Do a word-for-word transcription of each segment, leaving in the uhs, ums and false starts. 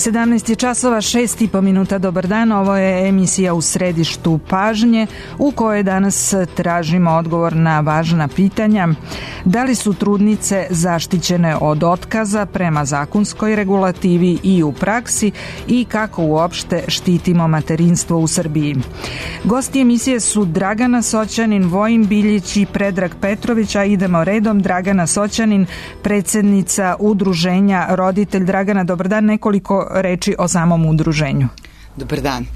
sedamnaest je časova, šest i po minuta, dobar dan, ovo je emisija U središtu pažnje u kojoj danas tražimo odgovor na važna pitanja. Da li su trudnice zaštićene od otkaza prema zakonskoj regulativi i u praksi i kako uopšte štitimo materinstvo u Srbiji? Gosti emisije su Dragana Soćanin, Vojin Biljić i Predrag Petrović, a idemo redom. Dragana Soćanin, predsednica udruženja Roditelj. Dragana, dobar dan, nekoliko reči o samom udruženju. Dobar dan.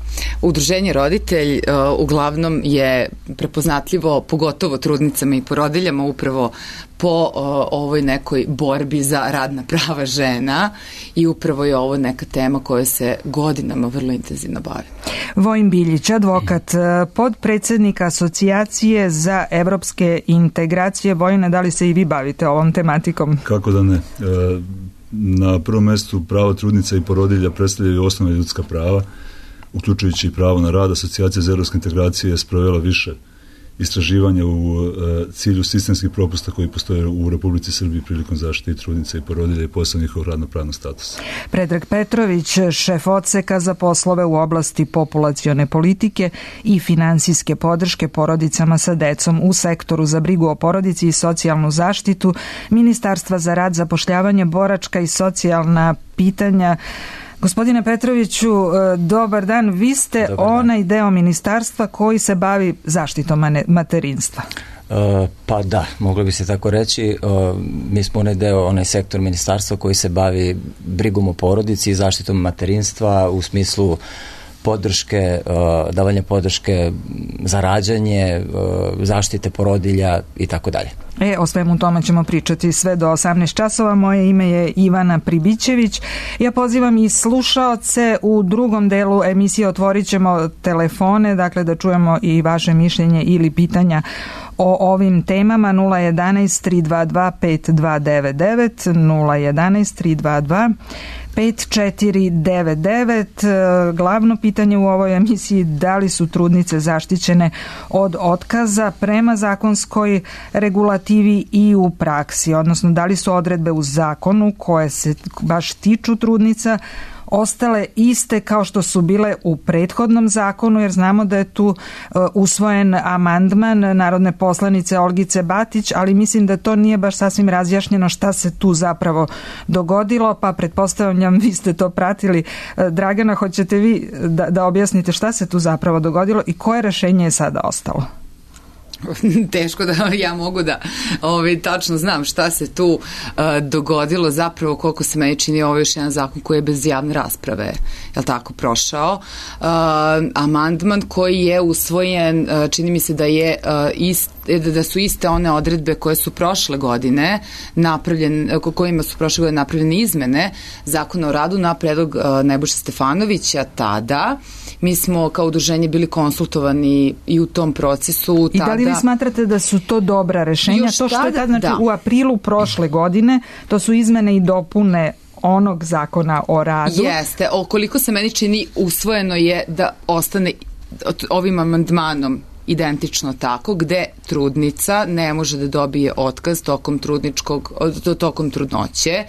Udruženje Roditelj uh, uglavnom je prepoznatljivo pogotovo trudnicama i porodiljama upravo po uh, ovoj nekoj borbi za radna prava žena i upravo je ovo neka tema koja se godinama vrlo intenzivno bavi. Vojin Biljić, advokat, podpredsednik Asocijacije za evropske integracije. Vojine, da li se i vi bavite ovom tematikom? Kako da ne? E, na prvom mestu pravo trudnica i porodilja predstavljaju osnovna ljudska prava, uključujući i pravo na rad. Asocijacija za evropske integracije je sprovela više istraživanja u e, cilju sistemskih propusta koji postoje u Republici Srbiji prilikom zaštite trudnica i porodilja i posebno njihovog radno-pravnog statusa. Predrag Petrović, šef odseka za poslove u oblasti populacione politike i finansijske podrške porodicama sa decom u sektoru za brigu o porodici i socijalnu zaštitu Ministarstva za rad, zapošljavanje, boračka i socijalna pitanja. Gospodine Petroviću, dobar dan. Vi ste dobar onaj dan. Deo ministarstva koji se bavi zaštitom materinstva. Uh, pa da, moglo bi se tako reći. Uh, mi smo onaj deo, onaj sektor ministarstva koji se bavi brigom o porodici i zaštitom materinstva u smislu podrške, uh, davanja podrške za rađanje, uh, zaštite porodilja i tako dalje. E, o svemu tome ćemo pričati sve do osamnaest časova. Moje ime je Ivana Pribićević. Ja pozivam i slušaoce u drugom delu emisije. Otvorit ćemo telefone, dakle da čujemo i vaše mišljenje ili pitanja o ovim temama. Nula jedanaest tri dva dva pet dva devet devet, nula jedanaest tri dva dva pet četiri devet devet. Glavno pitanje u ovoj emisiji: da li su trudnice zaštićene od otkaza prema zakonskoj regulativi i u praksi, odnosno da li su odredbe u zakonu koje se baš tiču trudnica ostale iste kao što su bile u prethodnom zakonu, jer znamo da je tu uh, usvojen amandman narodne poslanice Olgice Batić, ali mislim da to nije baš sasvim razjašnjeno šta se tu zapravo dogodilo, pa pretpostavljam vi ste to pratili. Uh, Dragana, hoćete vi da, da objasnite šta se tu zapravo dogodilo i koje rešenje je sada ostalo? Teško da ja mogu da ovaj, tačno znam šta se tu uh, dogodilo. Zapravo, koliko se meni čini, ovo je još jedan zakon koji je bez javne rasprave, je li tako, prošao. Uh, amandman koji je usvojen, uh, čini mi se da je uh, ist, da su iste one odredbe koje su prošle godine napravljene, kojima su prošle godine napravljene izmene Zakona o radu na predlog uh, Nebojše Stefanovića tada. Mi smo kao udruženje bili konsultovani i u tom procesu. I tada, da li vi smatrate da su to dobra rešenja? To što je tada, znači da. U aprilu prošle godine, to su izmene i dopune onog Zakona o radu. Jeste, okoliko se meni čini, usvojeno je da ostane ovim amandmanom identično tako, gde trudnica ne može da dobije otkaz tokom trudničkog, tokom trudnoće,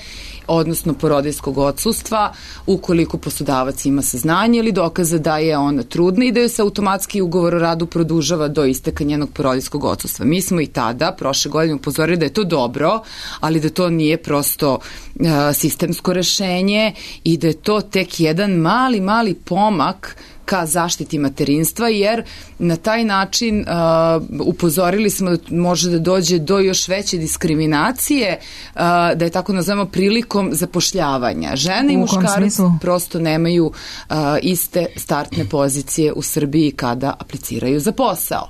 odnosno porodiljskog odsustva, ukoliko poslodavac ima saznanje ili dokaza da je ona trudna i da joj se automatski ugovor o radu produžava do isteka njenog porodiljskog odsustva. Mi smo i tada, prošle godine, upozorili da je to dobro, ali da to nije prosto uh, sistemsko rešenje i da je to tek jedan mali, mali pomak ka zaštiti materinstva, jer na taj način uh, upozorili smo da može da dođe do još veće diskriminacije, uh, da je tako nazovemo, prilikom zapošljavanja. Žene i muškarci prosto nemaju uh, iste startne pozicije u Srbiji kada apliciraju za posao.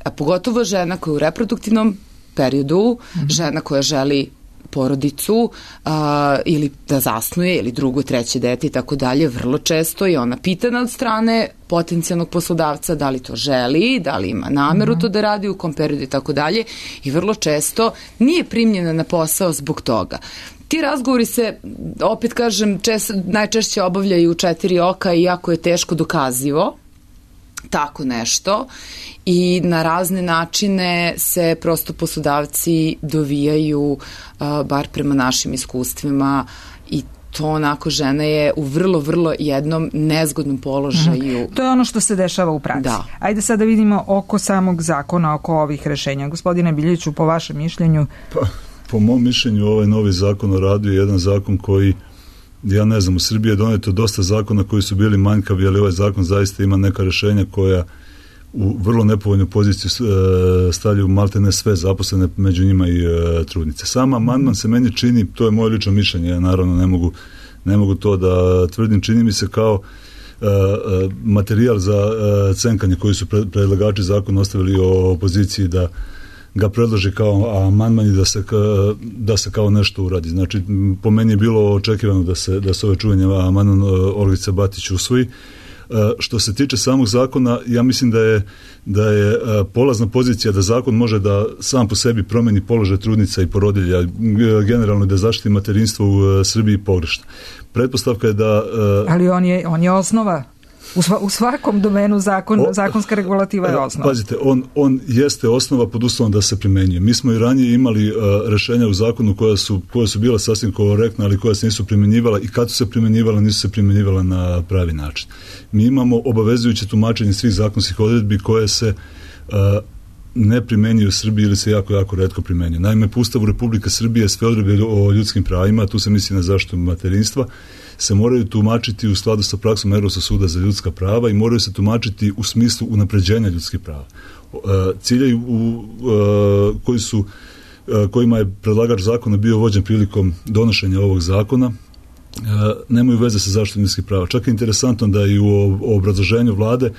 A pogotovo žena koja je u reproduktivnom periodu, mm-hmm. žena koja želi porodicu a, ili da zasnuje ili drugo, treće dete i tako dalje, vrlo često je ona pitana od strane potencijalnog poslodavca da li to želi, da li ima nameru mm-hmm. to da radi, u kom periodu i tako dalje, i vrlo često nije primljena na posao zbog toga. Ti razgovori se, opet kažem, čest, najčešće obavljaju u četiri oka i jako je teško dokazivo tako nešto i na razne načine se prosto poslodavci dovijaju, uh, bar prema našim iskustvima, i to onako žena je u vrlo, vrlo jednom nezgodnom položaju. Mm-hmm. To je ono što se dešava u praksi. Da. Ajde sad da vidimo oko samog zakona, oko ovih rešenja. Gospodine Biljeviću, po vašem mišljenju? Pa, po mom mišljenju, ovaj novi zakon o radu je jedan zakon koji, ja ne znam, u Srbiji je doneto dosta zakona koji su bili manjkavi, ali ovaj zakon zaista ima neka rešenja koja u vrlo nepovoljnu poziciju stavljaju maltene sve zaposlene, među njima i e, trudnice. Sama amandman se meni čini, to je moje lično mišljenje, ja naravno ne mogu, ne mogu to da tvrdim, čini mi se kao e, materijal za e, cenkanje koji su pre, predlagači zakona ostavili o opoziciji da ga predloži kao amandman i da se, da se kao nešto uradi. Znači, po meni je bilo očekivano da se, da se ove čuvanje amandman Olgice Batić usvoji. Što se tiče samog zakona, ja mislim da je, da je polazna pozicija da zakon može da sam po sebi promeni položaj trudnica i porodilja, generalno da zaštiti materinstvo u Srbiji pogrešno. Pretpostavka je da... Ali on je, on je osnova. U, sva, u svakom domenu zakon, o, zakonska regulativa je osnova. Pazite, on, on jeste osnova pod uslovom da se primenjuje. Mi smo i ranije imali uh, rešenja u zakonu koja su, koja su bila sasvim korektna, ali koja se nisu primenjivala i kad su se primenjivala, nisu se primenjivala na pravi način. Mi imamo obavezujuće tumačenje svih zakonskih odredbi koje se uh, ne primenjuju u Srbiji ili se jako, jako retko primenjuju. Naime, po Ustavu Republike Srbije sve odredbe o ljudskim pravima, tu se misli na zaštitu materinstva, se moraju tumačiti u skladu sa praksom Evropskog suda za ljudska prava i moraju se tumačiti u smislu unapređenja ljudskih prava. Ciljevi u, koji su, kojima je predlagač zakona bio vođen prilikom donošenja ovog zakona nemaju veze sa zaštitom ljudskih prava. Čak je interesantno da i u obrazloženju vlade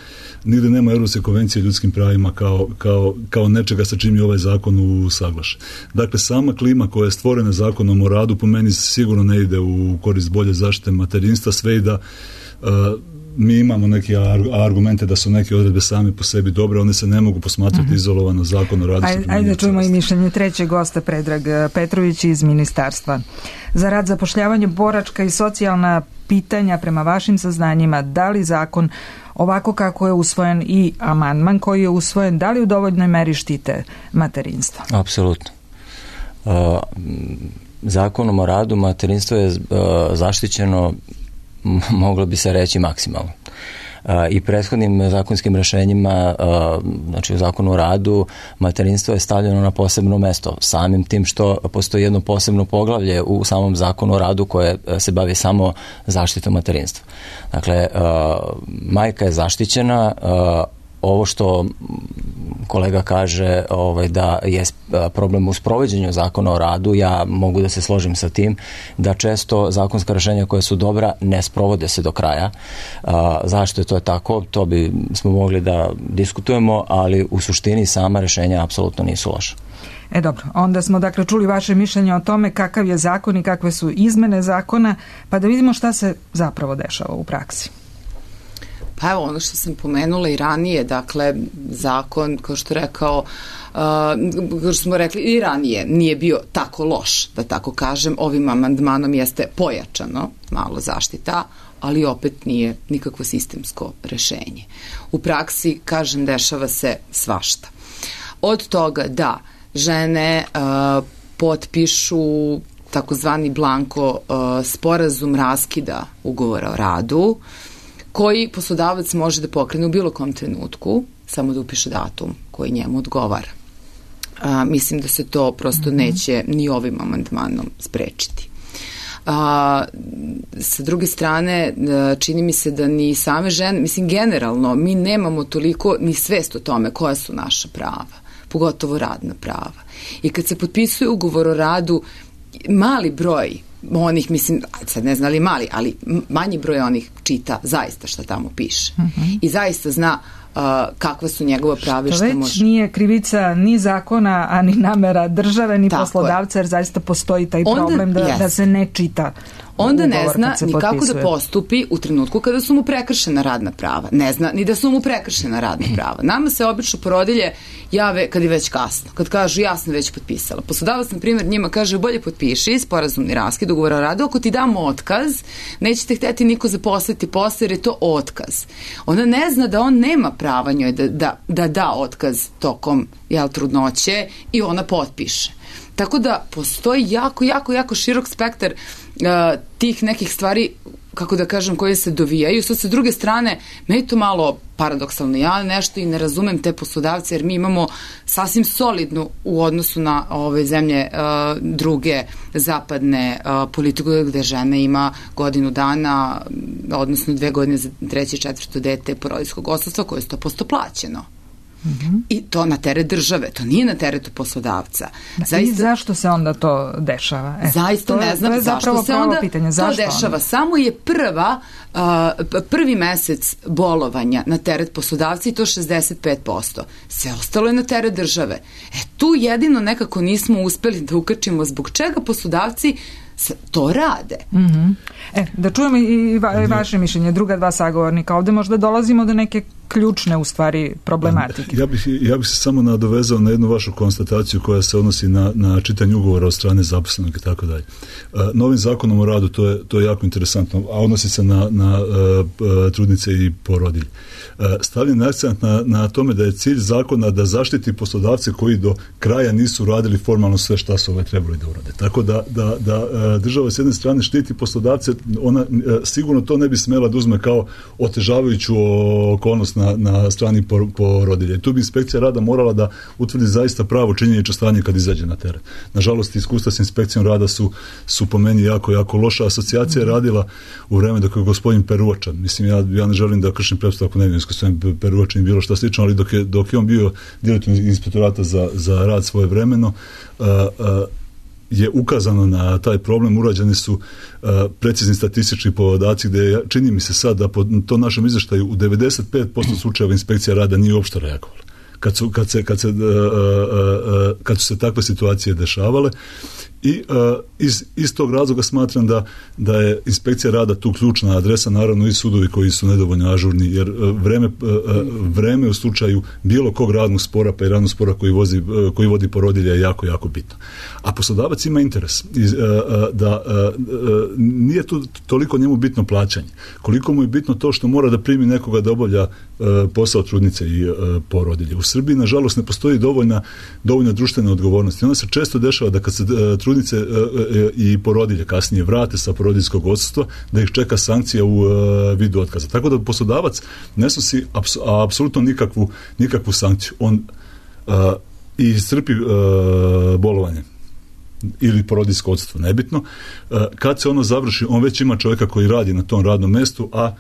nigde nema Evropske konvencije o ljudskim pravima kao, kao, kao nečega sa čim je ovaj zakon usaglašen. Dakle, sama klima koja je stvorena zakonom o radu po meni sigurno ne ide u korist bolje zaštite materinstva, sve i da uh, mi imamo neke argumente da su neke odredbe same po sebi dobre, one se ne mogu posmatrati mm-hmm. izolovano zakon o radu. Ajde, ajde čujemo i mišljenje trećeg gosta, Predrag Petrović iz Ministarstva za rad, zapošljavanje, boračka i socijalna pitanja. Prema vašim saznanjima, da li zakon ovako kako je usvojen i amandman koji je usvojen, da li u dovoljnoj meri štite materinstvo? Apsolutno. Uh, zakonom o radu materinstvo je uh, zaštićeno, moglo bi se reći, maksimalno. I prethodnim zakonskim rešenjima, znači u zakonu o radu, materinstvo je stavljeno na posebno mesto, samim tim što postoji jedno posebno poglavlje u samom zakonu o radu koje se bavi samo zaštitom materinstva. Dakle, majka je zaštićena. Ovo što kolega kaže ovaj, da je problem u sprovođenju zakona o radu, ja mogu da se složim sa tim, da često zakonska rešenja koja su dobra ne sprovode se do kraja. A, zašto je to tako? To bi smo mogli da diskutujemo, ali u suštini sama rešenja apsolutno nisu loša. E dobro, onda smo dakle čuli vaše mišljenje o tome kakav je zakon i kakve su izmene zakona, pa da vidimo šta se zapravo dešava u praksi. Pa evo, ono što sam pomenula i ranije, dakle, zakon, kao što rekao, uh, kao što smo rekli i ranije, nije bio tako loš, da tako kažem, ovim amandmanom jeste pojačano malo zaštita, ali opet nije nikakvo sistemsko rešenje. U praksi, kažem, dešava se svašta. Od toga da žene uh, potpišu takozvani blanko uh, sporazum raskida ugovora o radu, koji poslodavac može da pokrene u bilo kom trenutku, samo da upiše datum koji njemu odgovara. A, mislim da se to prosto neće ni ovim amandmanom sprečiti. A, sa druge strane, čini mi se da ni same žene, mislim generalno, mi nemamo toliko ni svest o tome koja su naša prava, pogotovo radna prava. I kad se potpisuje ugovor o radu, mali broj onih, mislim, sad ne znam li mali, ali manji broj onih čita zaista šta tamo piše. Uh-huh. I zaista zna uh, kakva su njegova prava i šta može. To već nije krivica ni zakona, a ni namera države, ni tako poslodavca, jer zaista postoji taj onda, problem da, yes. da se ne čita. Onda ne zna ni kako da postupi u trenutku kada su mu prekršena radna prava. Ne zna ni da su mu prekršena radna prava. Nama se obično porodilje jave kad je već kasno. Kad kažu ja sam već potpisala. Poslodavac, na primjer, njima kaže bolje potpiši sporazumni raskid ugovora o radu, ako ti damo otkaz, nećete hteti niko zaposliti posle jer je to otkaz. Ona ne zna da on nema prava njoj da da, da, da otkaz tokom jel, trudnoće i ona potpiše. Tako da postoji jako, jako, jako širok spektar uh, tih nekih stvari, kako da kažem, koje se dovijaju. Sad, sa druge strane, meni to malo paradoksalno. Ja nešto i ne razumem te poslodavce, jer mi imamo sasvim solidnu u odnosu na ove zemlje uh, druge zapadne uh, politiku, gde žena ima godinu dana, odnosno dve godine za treće i četvrto dete porodiljskog odsustva, koje je sto posto plaćeno. Mm-hmm. I to na teret države, to nije na teretu poslodavca. Zaista, i zašto se onda to dešava? E, zaista to, ne znam to je zašto se onda pitanje. Zašto to dešava. Onda? Samo je prva, uh, prvi mesec bolovanja na teret poslodavca i to šezdeset pet posto. Sve ostalo je na teret države. E, tu jedino nekako nismo uspeli da ukačimo zbog čega poslodavci to rade. Mm-hmm. E, da čujemo i, va, i vaše mišljenje, druga dva sagovornika. Ovde možda dolazimo do neke ključne, u stvari, problematike. Ja bih, ja bih se samo nadovezao na jednu vašu konstataciju koja se odnosi na, na čitanje ugovora od strane zaposlenog i tako dalje. Novim zakonom o radu, to je, to je jako interesantno, a odnosi se na, na uh, trudnice i porodilje. Uh, stavljen akcent na, na tome da je cilj zakona da zaštiti poslodavce koji do kraja nisu radili formalno sve šta su ove trebali da urade. Tako da, da, da uh, država s jedne strane štiti poslodavce, ona uh, sigurno to ne bi smela da uzme kao otežavajuću okolnost na, na strani porodilje. Tu bi inspekcija rada morala da utvrdi zaista pravo činjenično stanje kad izađe na teren. Nažalost, iskustva s inspekcijom rada su, su po meni jako, jako loša. Asocijacija je radila u vreme dok je gospodin Peruvačan. Mislim, ja, ja ne želim da kršim pretpostavku nevim iskustvom Peruvačan i bilo šta slično, ali dok je, dok je on bio direktor inspektorata za, za rad svoje vremeno, uh, uh, je ukazano na taj problem, urađeni su uh, precizni statistički podaci gde čini mi se sad da po tom našem izveštaju u devedeset pet posto slučajeva inspekcija rada nije uopšte reagovala. Kad su, kad se, kad se, uh, uh, uh, kad su se takve situacije dešavale i uh, iz, iz tog razloga smatram da, da je inspekcija rada tu ključna adresa, naravno i sudovi koji su nedovoljno ažurni, jer uh, vreme, uh, vreme u slučaju bilo kog radnog spora pa i radnog spora koji, vozi, uh, koji vodi porodilja je jako, jako bitno. A poslodavac ima interes iz, uh, da uh, uh, nije tu toliko njemu bitno plaćanje, koliko mu je bitno to što mora da primi nekoga da obavlja uh, posao trudnice i uh, porodilje. U Srbiji, nažalost, ne postoji dovoljna, dovoljna društvena odgovornost. I onda se često dešava da kad se uh, trudnice uh, uh, i porodilje kasnije vrate sa porodiljskog odsustva, da ih čeka sankcija u uh, vidu otkaza. Tako da poslodavac ne snosi aps, apsolutno nikakvu, nikakvu sankciju. On uh, i iscrpi uh, bolovanje ili porodiljsko odsustvo, nebitno. Kad se ono završi, on već ima čovjeka koji radi na tom radnom mestu, a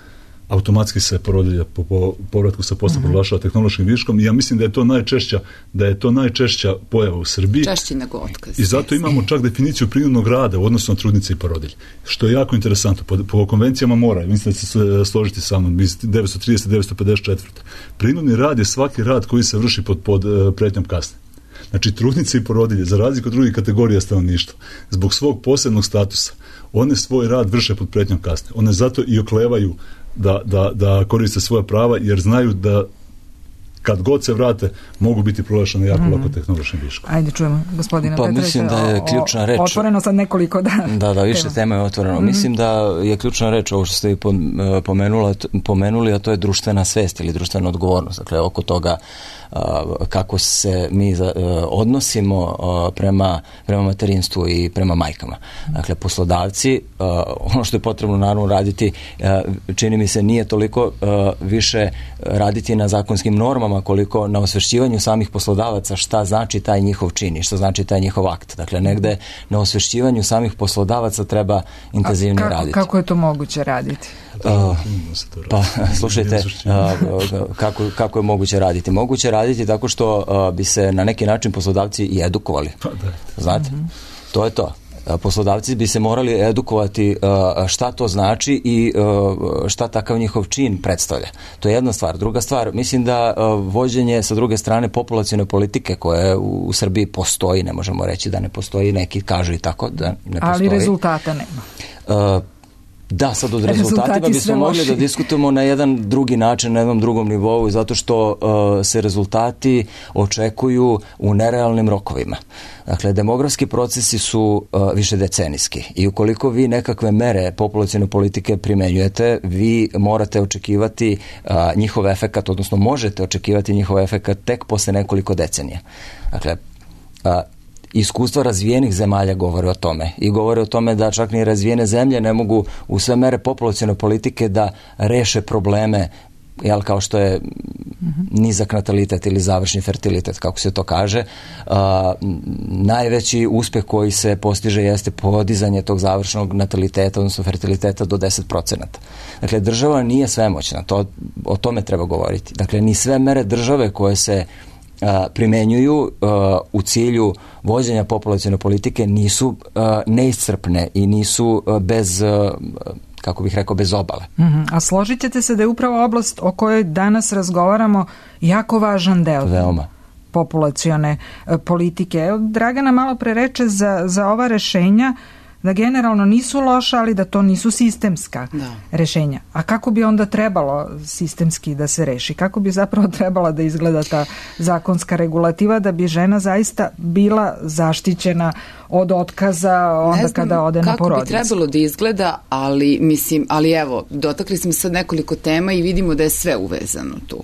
automatski se porodilja po, po povratku sa posla mm-hmm. proglašava tehnološkim viškom i ja mislim da je to najčešća, da je to najčešća pojava u Srbiji. Češće nego otkaz. I zato imamo čak definiciju prinudnog rada u odnosu na trudnice i porodilje. Što je jako interesantno. Po, po konvencijama mora, mislim da se složiti sa mnom, iz devetsto trideset devetsto pedeset četiri. Prinudni rad je svaki rad koji se vrši pod, pod pretnjom kazne. Znači, trudnice i porodilje, za razliku od drugih kategorija stanovništva, zbog svog posebnog statusa, one svoj rad vrše pod pretnjom kazne. One zato i oklevaju da, da, da koriste svoja prava, jer znaju da kad god se vrate, mogu biti proglašene jako mm. lako tehnološkim viškom. Ajde, čujemo, gospodina pa, Petrovića. Mislim da je ključna reč. Otvoreno sad nekoliko, da. Da, da, više tema, tema je otvoreno. Mm. Mislim da je ključna reč, ovo što ste pomenula, pomenuli, a to je društvena svest ili društvena odgovornost. Dakle, oko toga kako se mi odnosimo prema, prema materinstvu i prema majkama. Dakle, poslodavci, ono što je potrebno naravno raditi, čini mi se nije toliko više raditi na zakonskim normama koliko na osvešćivanju samih poslodavaca šta znači taj njihov čin i šta znači taj njihov akt. Dakle, negde na osvešćivanju samih poslodavaca treba intenzivnije kako, raditi. Kako je to moguće raditi? Uh, pa, slušajte, uh, kako, kako je moguće raditi? Moguće raditi tako što uh, bi se na neki način poslodavci i edukovali. Pa da. Znate, mm-hmm. to je to. Poslodavci bi se morali edukovati uh, šta to znači i uh, šta takav njihov čin predstavlja. To je jedna stvar. Druga stvar, mislim da uh, vođenje sa druge strane populacione politike koje u, u Srbiji postoji, ne možemo reći da ne postoji, neki kažu i tako da ne postoji. Ali rezultata nema. Uh, Da, sad od rezultatima bismo mogli da diskutujemo na jedan drugi način, na jednom drugom nivou, zato što uh, se rezultati očekuju u nerealnim rokovima. Dakle, demografski procesi su uh, više decenijski i ukoliko vi nekakve mere populacione politike primenjujete, vi morate očekivati uh, njihov efekat, odnosno možete očekivati njihov efekat tek posle nekoliko decenija. Dakle, uh, iskustva razvijenih zemalja govore o tome i govore o tome da čak ni razvijene zemlje ne mogu u sve mere populacione politike da reše probleme, jel, kao što je nizak natalitet ili završni fertilitet, kako se to kaže. Uh, najveći uspeh koji se postiže jeste podizanje tog završnog nataliteta, odnosno fertiliteta do deset procenata. Dakle, država nije svemoćna, to, o tome treba govoriti. Dakle, ni sve mere države koje se uh, primenjuju uh, u cilju vođenja populacione politike nisu uh, neiscrpne i nisu uh, bez uh, kako bih rekao, bez obale. Mm-hmm. A složit ćete se da je upravo oblast o kojoj danas razgovaramo jako važan deo Veoma. populacione e, politike. Evo, Dragana malo pre reče za, za ova rešenja da generalno nisu loša, ali da to nisu sistemska da. rešenja. A kako bi onda trebalo sistemski da se reši? Kako bi zapravo trebala da izgleda ta zakonska regulativa da bi žena zaista bila zaštićena od otkaza onda znam kada ode na porodicu? Kako bi trebalo da izgleda, ali mislim, ali evo, dotakli smo sad nekoliko tema i vidimo da je sve uvezano tu.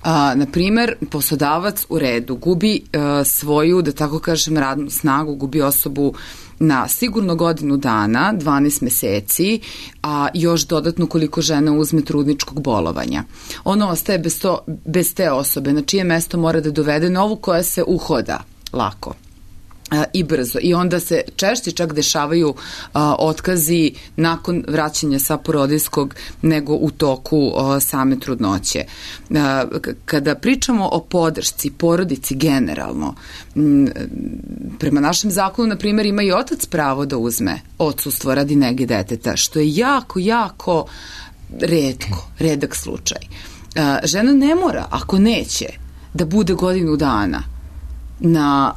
A, na primer, poslodavac u redu gubi a, svoju, da tako kažem, radnu snagu, gubi osobu na sigurno godinu dana, dvanaest meseci, a još dodatno koliko žena uzme trudničkog bolovanja. Ono ostaje bez, to, bez te osobe, na čije mesto mora da dovede novu koja se uhoda lako i brzo. I onda se češće čak dešavaju a, otkazi nakon vraćanja sa porodiljskog nego u toku a, same trudnoće. A, kada pričamo o podršci porodici generalno, m, prema našem zakonu, na primjer, ima i otac pravo da uzme odsustvo radi nege deteta, što je jako, jako retko, redak slučaj. A, žena ne mora, ako neće, da bude godinu dana na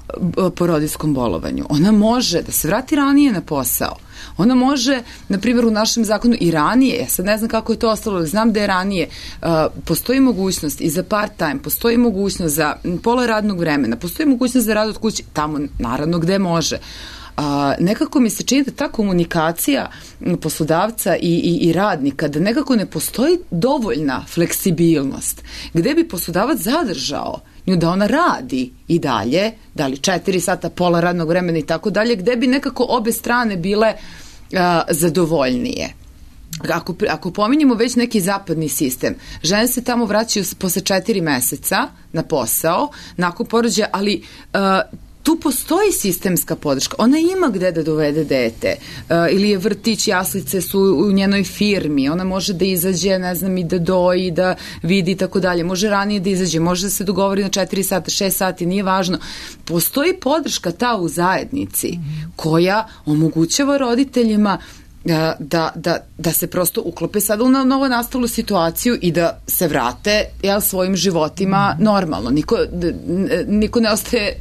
porodiljskom bolovanju. Ona može da se vrati ranije na posao. Ona može, na primjer, u našem zakonu i ranije, ja sad ne znam kako je to ostalo, ali znam da je ranije, uh, postoji mogućnost i za part-time, postoji mogućnost za pola radnog vremena, postoji mogućnost za rad od kuće, tamo naravno gde može. Uh, nekako mi se čini da ta komunikacija poslodavca i, i, i radnika, da nekako ne postoji dovoljna fleksibilnost, gde bi poslodavac zadržao nju da ona radi i dalje, da li četiri sata, pola radnog vremena i tako dalje, gde bi nekako obe strane bile uh, zadovoljnije. Ako, ako pominjemo već neki zapadni sistem, žene se tamo vraćaju posle četiri meseca na posao, nakon porođaja, ali uh, tu postoji sistemska podrška. Ona ima gde da dovede dete. Uh, ili je vrtić, jaslice su u njenoj firmi. Ona može da izađe, ne znam, i da doji, da vidi i tako dalje. Može ranije da izađe, može da se dogovori na četiri sata, šest sati, nije važno. Postoji podrška ta u zajednici koja omogućava roditeljima Da, da, da se prosto uklope sada u novo nastalu situaciju i da se vrate, jel, svojim životima normalno. Niko, niko ne ostaje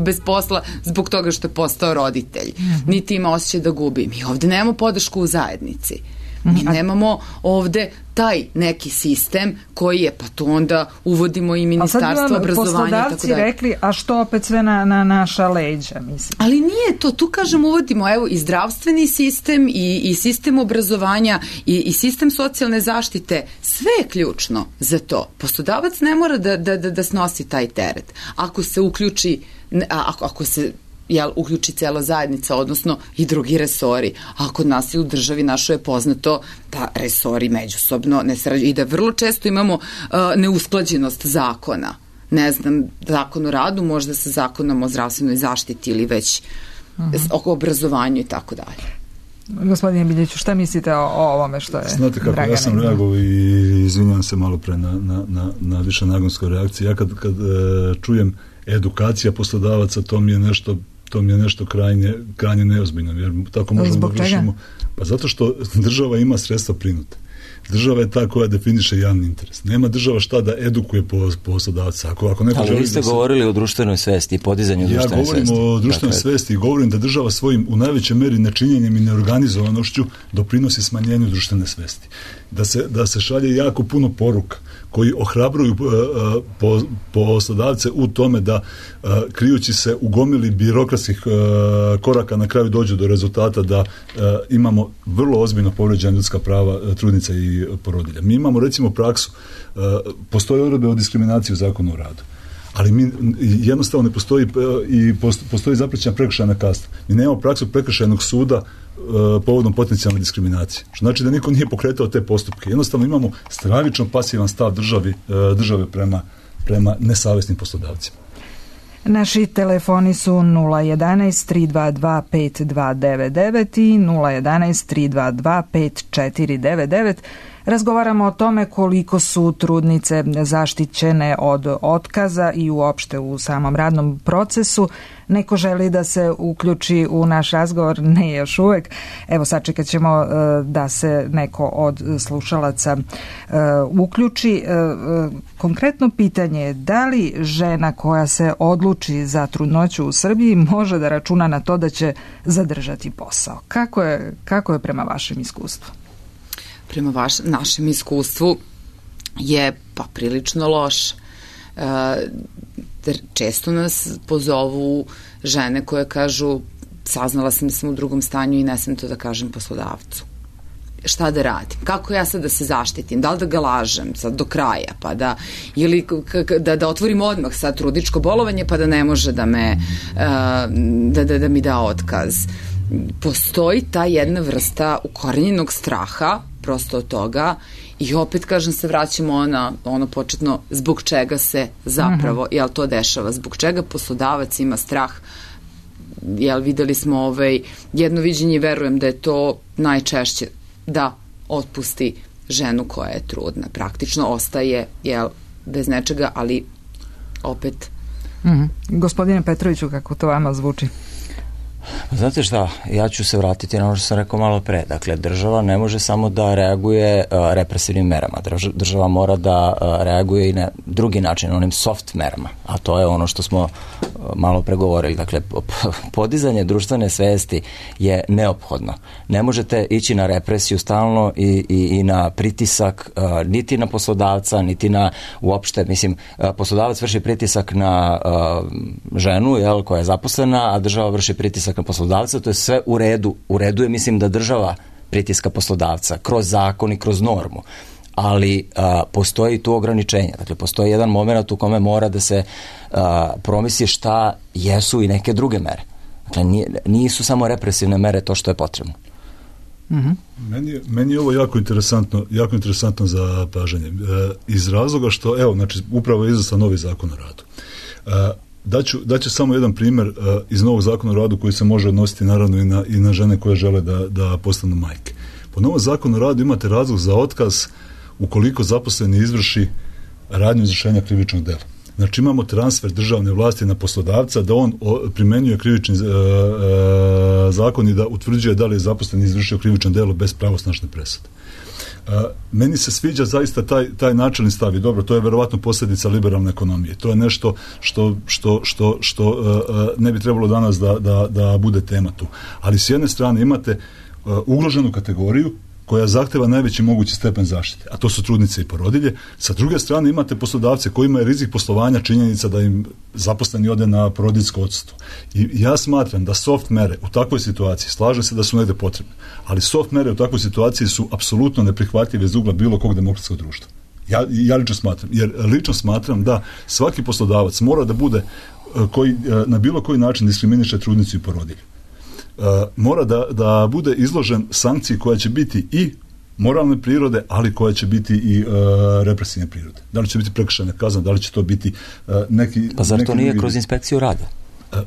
bez posla zbog toga što je postao roditelj. Niti ima osjećaj da gubi. Mi ovde nemamo podršku u zajednici. Mi nemamo ovde taj neki sistem koji je, pa to onda uvodimo i ministarstvo obrazovanja i tako dalje. Poslodavci rekli, a što opet sve na, na naša leđa, mislim. Ali nije to, tu kažem uvodimo, evo, i zdravstveni sistem i, i sistem obrazovanja i, i sistem socijalne zaštite, sve je ključno za to. Poslodavac ne mora da, da, da, da snosi taj teret. Ako se uključi, ako, ako se jel, uključi cela zajednica, odnosno i drugi resori. A kod nas i u državi našo je poznato da resori međusobno ne sarađuju i da vrlo često imamo uh, neusklađenost zakona. Ne znam, zakon o radu možda sa zakonom o zdravstvenoj zaštiti ili već uh-huh. oko obrazovanju i tako dalje. Gospodine Biljeću, šta mislite o, o ovome što je Znate kako, Dragana ja sam reagovao i izvinjam se malo pre na, na, na, na više nagonskoj reakciji. Ja kad, kad e, čujem edukacija poslodavaca, to mi je nešto to mi je nešto krajnje, krajnje neozbiljno, jer tako možemo da vršimo. Pa zato što država ima sredstva prinute. Država je ta koja definiše javni interes. Nema država šta da edukuje poslodavca. Ako, ako neko Ali vi ste da se... govorili o društvenoj svesti i podizanju ja društvene svesti. Ja govorim o društvenoj dakle... svesti i govorim da država svojim u najvećoj meri nečinjenjem i neorganizovanošću doprinosi smanjenju društvene svesti. Da se, da se šalje jako puno poruka koji ohrabruju uh, po, poslodavce u tome da uh, krijući se u gomili birokratskih uh, koraka na kraju dođu do rezultata da uh, imamo vrlo ozbiljno povređena ljudska prava uh, trudnica i porodilja. Mi imamo recimo praksu, uh, postoje odredbe o diskriminaciji u zakonu o radu, Ali mi jednostavno ne postoji i postoji zaprećena prekršajna kazna. Mi nemamo praksu prekršajnog suda povodom potencijalne diskriminacije. Što znači da niko nije pokretao te postupke. Jednostavno imamo stravično pasivan stav državi, države prema, prema nesavesnim poslodavcima. Naši telefoni su nula jedanaest tri dva dva pet dva devet devet i nula jedanaest tri dva dva pet četiri devet devet. Razgovaramo o tome koliko su trudnice zaštićene od otkaza i uopšte u samom radnom procesu. Neko želi da se uključi u naš razgovor, ne još uvek. Evo, sačekat ćemo da se neko od slušalaca uključi. Konkretno pitanje je da li žena koja se odluči za trudnoću u Srbiji može da računa na to da će zadržati posao? Kako je, kako je prema vašem iskustvu? Prema vaš, našem iskustvu je pa prilično loš. E, često nas pozovu žene koje kažu saznala sam da sam u drugom stanju i ne sam to da kažem poslodavcu. Šta da radim? Kako ja sad da se zaštitim? Da li da ga lažem sad do kraja? Pa da, ili da, da otvorim odmah sad trudničko bolovanje pa da ne može da me e, da, da, da mi da otkaz. Postoji ta jedna vrsta ukorenjenog straha prosto od toga i opet kažem se vraćamo na ono početno zbog čega se zapravo jel to dešava, zbog čega poslodavac ima strah, jel videli smo ovaj, jedno viđenje i verujem da je to najčešće da otpusti ženu koja je trudna, praktično ostaje jel bez nečega, ali opet mm-hmm. Gospodine Petroviću, kako to vama zvuči? Znate šta, ja ću se vratiti na ono što sam rekao malo pre. Dakle, država ne može samo da reaguje uh, represivnim merama. Država mora da uh, reaguje i na drugi način, onim soft merama. A to je ono što smo uh, malo pregovorili. Dakle, podizanje društvene svesti je neophodno. Ne možete ići na represiju stalno i, i, i na pritisak uh, niti na poslodavca, niti na uopšte, mislim, uh, poslodavac vrši pritisak na uh, ženu, jel, koja je zaposlena, a država vrši pritisak na poslodavca, to je sve u redu. U redu je, mislim, da država pritiska poslodavca kroz zakon i kroz normu. Ali a, postoji tu ograničenje. Dakle, postoji jedan moment u kome mora da se a, promisli šta jesu i neke druge mere. Dakle, nije, nisu samo represivne mere to što je potrebno. Mm-hmm. Meni, je, meni je ovo jako interesantno, jako interesantno za pažanje. E, iz razloga što, evo, znači, upravo je izaslan novi zakon o radu. E, Daću, daću samo jedan primjer uh, iz novog zakona o radu koji se može odnositi naravno i na, i na žene koje žele da, da postanu majke. Po novom zakonu o radu imate razlog za otkaz ukoliko zaposleni izvrši radnju izvršenja krivičnog dela. Znači imamo transfer državne vlasti na poslodavca da on o, primenjuje krivični uh, uh, zakon i da utvrđuje da li je zaposleni izvršio krivično delo bez pravosnažne presude. Uh, meni se sviđa zaista taj, taj načelni stav i dobro, to je verovatno posljedica liberalne ekonomije. To je nešto što, što, što, što uh, ne bi trebalo danas da, da, da bude tema tu. Ali s jedne strane imate uh, ugroženu kategoriju koja zahteva najveći mogući stepen zaštite, a to su trudnice i porodilje. Sa druge strane imate poslodavce koji imaju rizik poslovanja, činjenica da im zaposleni ode na porodiljsko odsustvo. I ja smatram da soft mere u takvoj situaciji, slažem se da su negde potrebne, ali soft mere u takvoj situaciji su apsolutno neprihvatljive iz ugla bilo kog demokratskog društva. Ja, ja lično smatram, jer lično smatram da svaki poslodavac mora da bude koji na bilo koji način diskriminiše trudnicu i porodilju. Uh, mora da, da bude izložen sankciji koja će biti i moralne prirode, ali koja će biti i uh, represivne prirode. Da li će biti prekršajna kazna, da li će to biti uh, neki... Pa zar neki to nije drugi... kroz inspekciju rada? Uh,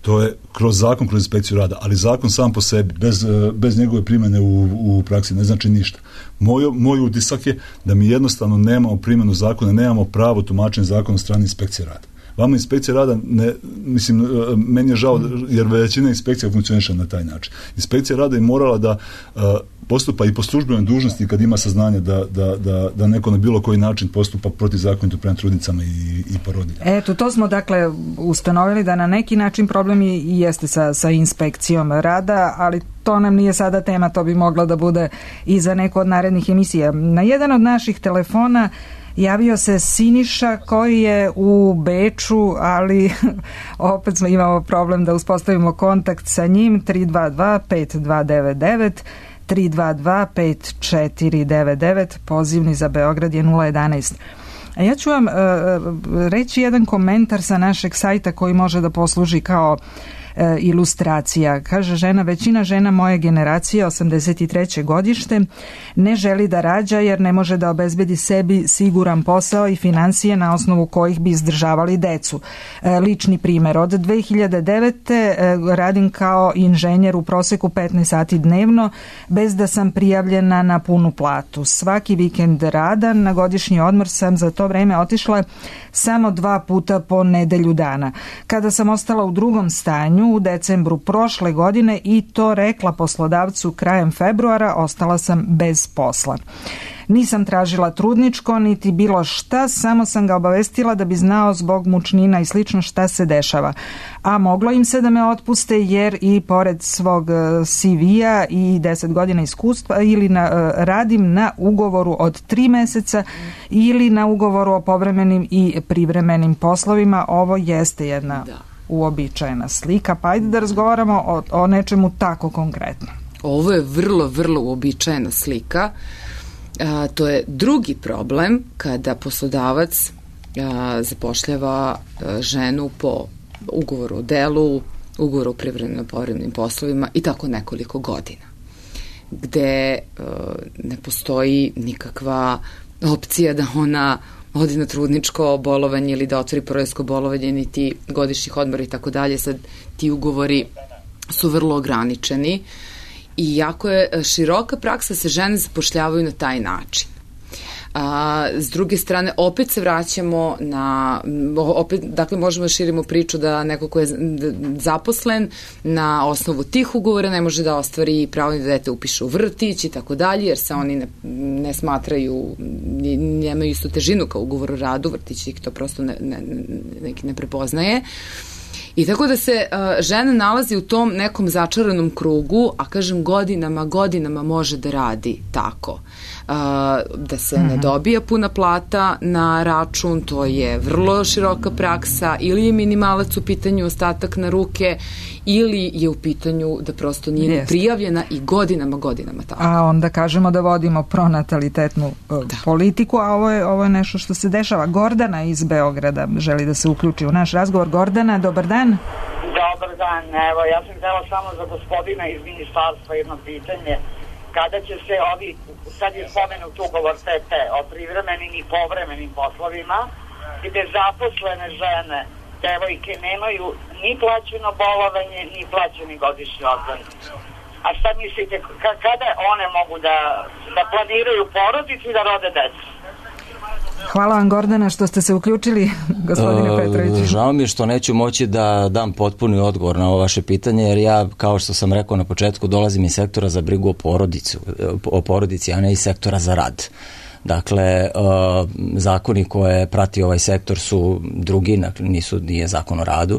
to je kroz zakon, kroz inspekciju rada, ali zakon sam po sebi, bez, uh, bez njegove primjene u, u praksi, ne znači ništa. Moj, moj utisak je da mi jednostavno nemamo primjenu zakona, nemamo pravo tumačenje zakona od strane inspekcije rada. Vama inspekcija rada, ne, mislim, meni je žao jer većina inspekcija funkcioniše na taj način. Inspekcija rada je morala da uh, postupa i po službenoj dužnosti kad ima saznanje da, da, da, da neko na bilo koji način postupa protivzakonito prema trudnicama i, i porodiljama. Eto, to smo dakle ustanovili da na neki način problem i jeste sa, sa inspekcijom rada, ali to nam nije sada tema, to bi mogla da bude i za neku od narednih emisija. Na jedan od naših telefona javio se Siniša koji je u Beču, ali opet smo imamo problem da uspostavimo kontakt sa njim. Tri dva dva pet dva devet devet, tri dva dva pet četiri devet devet, pozivni za Beograd je nula jedanaest. A ja ću vam uh, reći jedan komentar sa našeg sajta koji može da posluži kao E, ilustracija. Kaže žena, većina žena moje generacije, osamdeset treće godište, ne želi da rađa jer ne može da obezbedi sebi siguran posao i financije na osnovu kojih bi izdržavali decu. E, lični primer, od dve hiljade devete. E, radim kao inženjer u proseku petnaest sati dnevno bez da sam prijavljena na punu platu. Svaki vikend rada, na godišnji odmor sam za to vreme otišla samo dva puta po nedelju dana. Kada sam ostala u drugom stanju u decembru prošle godine i to rekla poslodavcu krajem februara, ostala sam bez posla. Nisam tražila trudničko niti bilo šta, samo sam ga obavestila da bi znao zbog mučnina i slično šta se dešava. A moglo im se da me otpuste jer i pored svog C V-a i deset godina iskustva ili na, radim na ugovoru od tri meseca ili na ugovoru o povremenim i privremenim poslovima. Ovo jeste jedna da. uobičajena slika, pa ajde da razgovaramo o, o nečemu tako konkretno. Ovo je vrlo, vrlo uobičajena slika. A, to je drugi problem kada poslodavac a, zapošljava a, ženu po ugovoru o delu, ugovoru o privremenim povremenim poslovima i tako nekoliko godina, gde a, ne postoji nikakva opcija da ona odi na trudničko bolovanje ili da otvori porodiljsko bolovanje, niti godišnjih odmora i tako dalje. Sad ti ugovori su vrlo ograničeni i jako je široka praksa, se žene zapošljavaju na taj način. A, s druge strane, opet se vraćamo na, opet, dakle možemo da širimo priču da neko ko je zaposlen na osnovu tih ugovora ne može da ostvari pravo da dete upiše u vrtić i tako dalje, jer se oni ne, ne smatraju, nemaju istu težinu kao ugovor o radu, vrtić ih to prosto ne, ne, neki ne prepoznaje. I tako da se uh, žena nalazi u tom nekom začaranom krugu, a kažem godinama, godinama može da radi tako. Uh, da se mm-hmm. ne dobija puna plata na račun, to je vrlo široka praksa, ili je minimalac u pitanju, ostatak na ruke, ili je u pitanju da prosto nije Jest. prijavljena i godinama, godinama tako. A onda kažemo da vodimo pronatalitetnu uh, politiku, a ovo je, ovo je nešto što se dešava. Gordana iz Beograda želi da se uključi u naš razgovor. Gordana, dobar dan. Dobar dan, evo, ja sam htjela samo za gospodina iz ministarstva jedno pitanje. Kada će se ovi, sad je spomenut ugovor T T o privremenim i povremenim poslovima, gde zaposlene žene, devojke, nemaju ni plaćeno bolovanje, ni plaćeni godišnji odmor. A šta mislite, kada one mogu da, da planiraju porodicu i da rode decu? Hvala vam, Gordana, što ste se uključili, gospodine uh, Petrović. Žao mi je što neću moći da dam potpuni odgovor na ovo vaše pitanje, jer ja, kao što sam rekao na početku, dolazim iz sektora za brigu o porodici, o porodici, a ne iz sektora za rad. Dakle, uh, zakoni koje prati ovaj sektor su drugi, nisu, nije zakon o radu.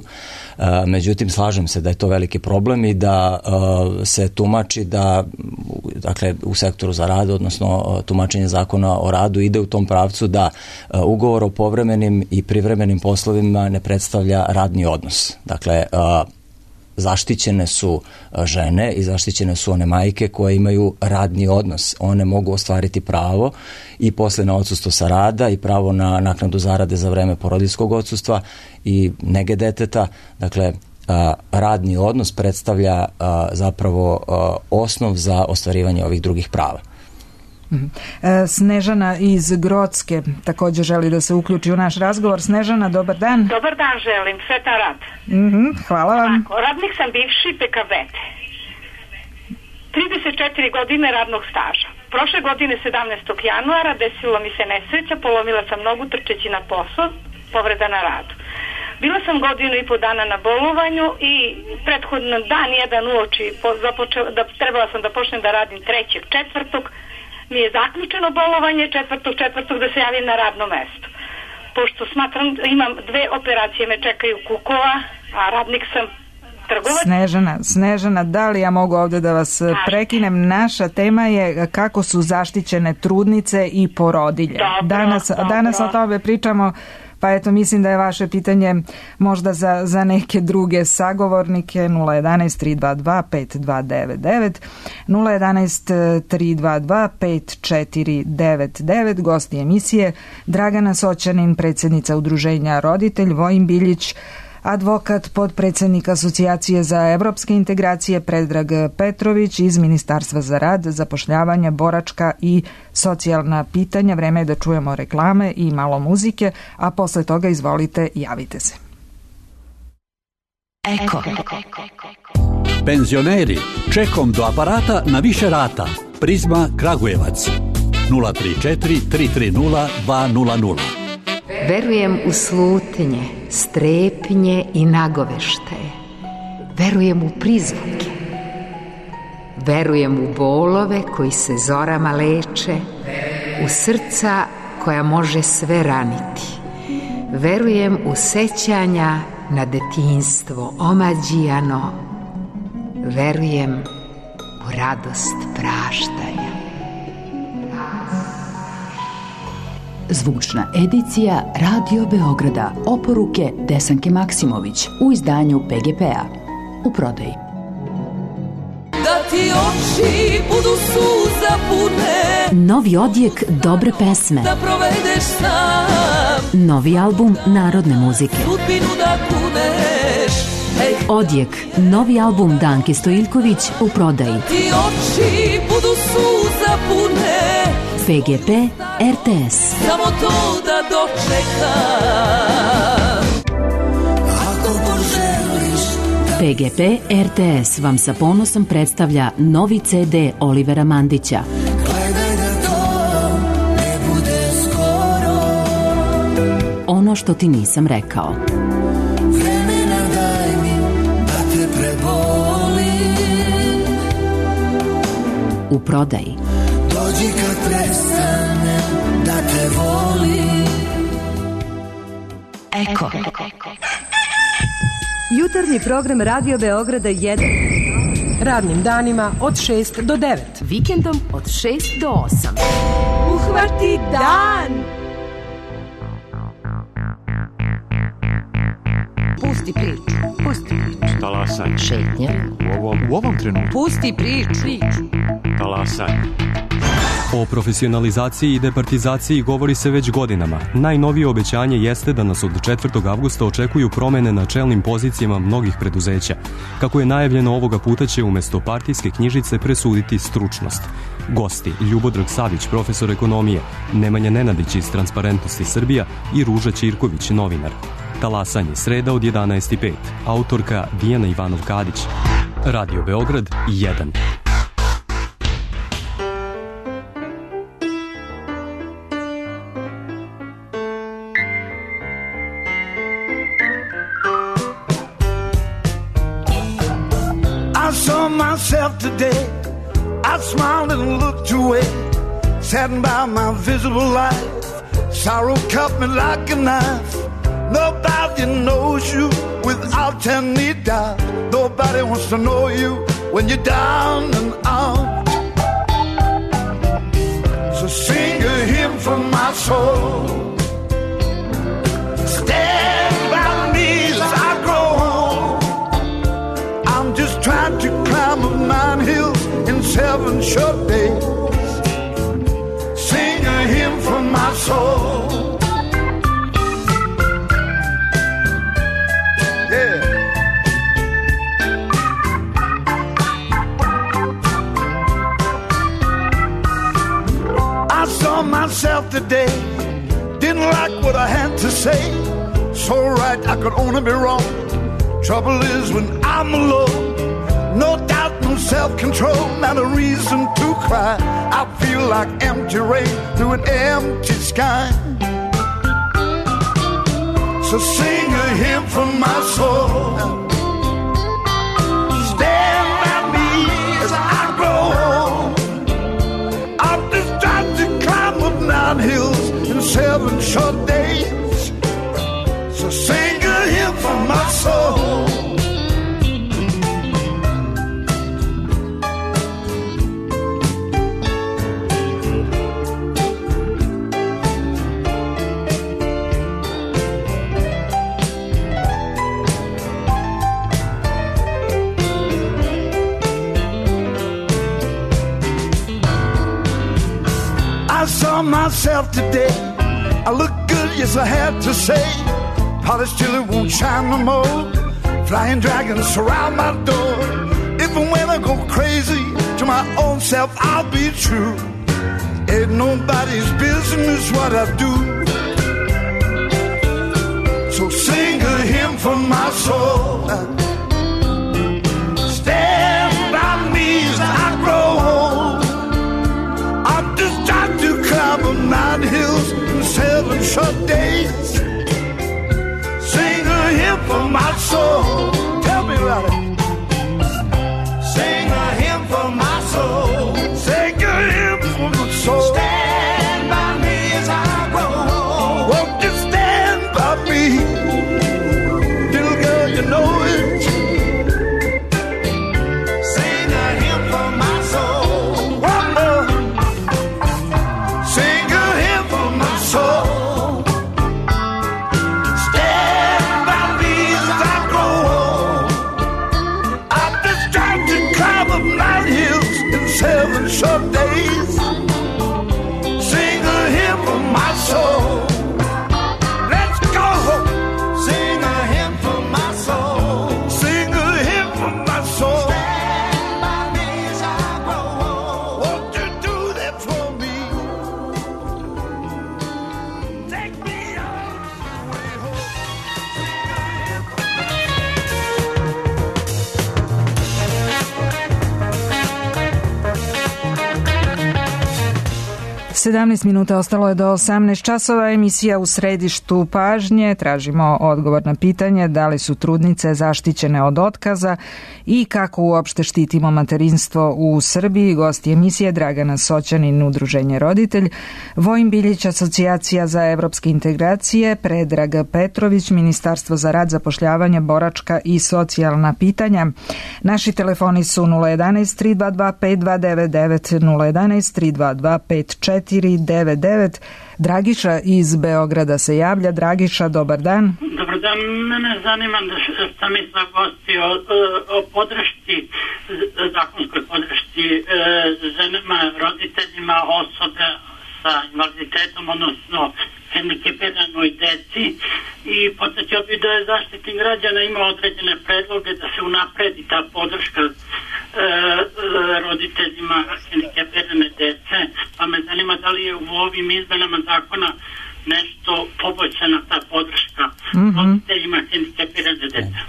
Uh, međutim, slažem se da je to veliki problem i da uh, se tumači da, dakle, u sektoru za rad, odnosno uh, tumačenje zakona o radu ide u tom pravcu da uh, ugovor o povremenim i privremenim poslovima ne predstavlja radni odnos. Dakle, uh, zaštićene su žene i zaštićene su one majke koje imaju radni odnos. One mogu ostvariti pravo i posle na odsustvo sa rada i pravo na naknadu zarade za vreme porodiljskog odsustva i nege deteta. Dakle, radni odnos predstavlja zapravo osnov za ostvarivanje ovih drugih prava. Snežana iz Grocke također želi da se uključi u naš razgovor. Snežana, dobar dan. Dobar dan želim, sretan rad. Mm-hmm, hvala vam. Tako, radnik sam bivši P K B T. trideset četiri godine radnog staža. Prošle godine sedamnaestog januara desilo mi se nesreća, polomila sam nogu trčeći na posao, povreda na radu. Bila sam godinu i po dana na bolovanju i prethodno dan jedan uoči započela, da, trebala sam da počnem da radim trećeg četvrtog, mi je zaključeno bolovanje četvrtog četvrtog da se javim na radno mesto. Pošto smatram, imam dve operacije, me čekaju kukova, a radnik sam trgovac. Snežana, Snežana, da li ja mogu ovde da vas Naš. prekinem? Naša tema je kako su zaštićene trudnice i porodilje. Dobro, danas dobro. danas o tome pričamo Pa eto, mislim da je vaše pitanje možda za, za neke druge sagovornike. Nula jedanaest tri dva dva pet dva devet devet, nula jedanaest tri dva dva pet četiri devet devet. Gosti emisije Dragana Soćanin, predsjednica Udruženja Roditelj, Vojin Biljić, advokat, podpredsednik Asocijacije za evropske integracije Predrag Petrović iz Ministarstva za rad, zapošljavanje, boračka i socijalna pitanja. Vreme je da čujemo reklame i malo muzike, a posle toga izvolite, javite se. Eko. Penzioneri, čekom do aparata na više rata. Prizma Kragujevac. nula tri četiri tri tri nula dva nula nula. Verujem u slutnje, strepnje i nagoveštaje. Verujem u prizvuke. Verujem u bolove koji se zorama leče, u srca koja može sve raniti. Verujem u sećanja na detinjstvo omađijano. Verujem u radost praštanja. Zvučna edicija Radio Beograda. Oporuke Desanke Maksimović u izdanju P G P-a. U prodaji. Da ti oči budu suza pune, Novi odjek dobre pesme, da provedeš sam, novi album narodne muzike, sudbinu da kuneš. Ej, Odjek, novi album Danke Stojiljković u prodaji. ti oči budu suza pune, P G P R T S. samo to da dočekam. Ako poželiš da... P G P R T S vam sa ponosom predstavlja novi C D Olivera Mandića. Gledaj da to ne bude skoro. Ono što ti nisam rekao. Vremena daj mi da te prebolim. U prodaji. Dođi kad prestanem da te volim. Eko. Jutarnji program Radio Beograda jedan. Radnim danima od šest do devet. Vikendom od šest do osam. Uhvati dan! Pusti priču. Pusti priču. Talasaj. Šetnja. U ovom, u ovom trenutku. Pusti priču. Talasaj. O profesionalizaciji i departizaciji govori se već godinama. Najnovije obećanje jeste da nas od četvrtog avgusta očekuju promene na čelnim pozicijama mnogih preduzeća. Kako je najavljeno, ovoga puta će umesto partijske knjižice presuditi stručnost. Gosti: Ljubodrag Savić, profesor ekonomije, Nemanja Nenadić iz Transparentnosti Srbija i Ruža Ćirković, novinar. Talasanje, sreda od jedanaest i pet. Autorka Dijana Ivanov-Kadić. Radio Beograd jedan. I saw myself today, I smiled and looked away, saddened by my visible life, sorrow cut me like a knife. Nobody knows you without any doubt, nobody wants to know you when you're down and out. So sing a hymn from my soul, stand by me as I grow old. I'm just trying to climb up nine hills in seven short days. Sing a hymn from my soul. Yeah. I saw myself today, didn't like what I had to say. So right, I could only be wrong. Trouble is when I'm alone, no doubt, no self-control, not a reason to cry. I feel like empty rain through an empty sky. So sing a hymn from my soul, stand by me as I grow old. I'm just trying to climb up nine hills in seven short days. So sing a hymn from my soul. saw myself today. I look good, yes I had to say. Polished till it won't shine no more. Flying dragons surround my door. If and when I go crazy, to my own self I'll be true. Ain't nobody's business what I do. So sing a hymn for my soul. Stand by me as I grow old. I'm just trying to climb up nine hills in seven short days. Sing a hymn for my soul. Tell me about it. Sing a hymn for my soul. Sing a hymn for my soul. Stand by me as I grow old. Won't you stand by me? Little girl, you know it. Sing a hymn for my soul. One more. Sing a hymn for my soul. Stand by me as I grow old. I'm just trying to climb up nine hills in seven short days. Sing a hymn for my soul. Let's go. Sing a hymn for my soul. Sing a hymn for my soul. Stand by me as I grow old. Won't you do that for me? Take me on the way home. sedamnaest minuta ostalo je do osamnaest časova, emisija U središtu pažnje. Tražimo odgovor na pitanje da li su trudnice zaštićene od otkaza i kako uopšte štitimo materinstvo u Srbiji. Gosti emisije Dragana Soćanin, Udruženje Roditelj, Vojin Biljić, Asocijacija za evropske integracije, Predrag Petrović, Ministarstvo za rad, zapošljavanje, boračka i socijalna pitanja. Naši telefoni su nula jedanaest tri dva dva pet dva devet devet, nula jedanaest tri dva dva pet četiri devet devet. Dragiša iz Beograda se javlja. Dragiša, dobar dan. Dobar dan, mene zanima da sam mi sa gosti o, o podršci, zakonskoj podršci ženama, roditeljima, osobe sa invaliditetom, odnosno hendikepiranoj deci, i podsjetio bi da je Zaštitnik građana imao određene predloge da se unapredi ta podrška e, roditeljima hendikepirane dece, pa me zanima da li je u ovim izmenama zakona nešto poboljšana ta podrška mm-hmm. roditeljima hendikepirane dece.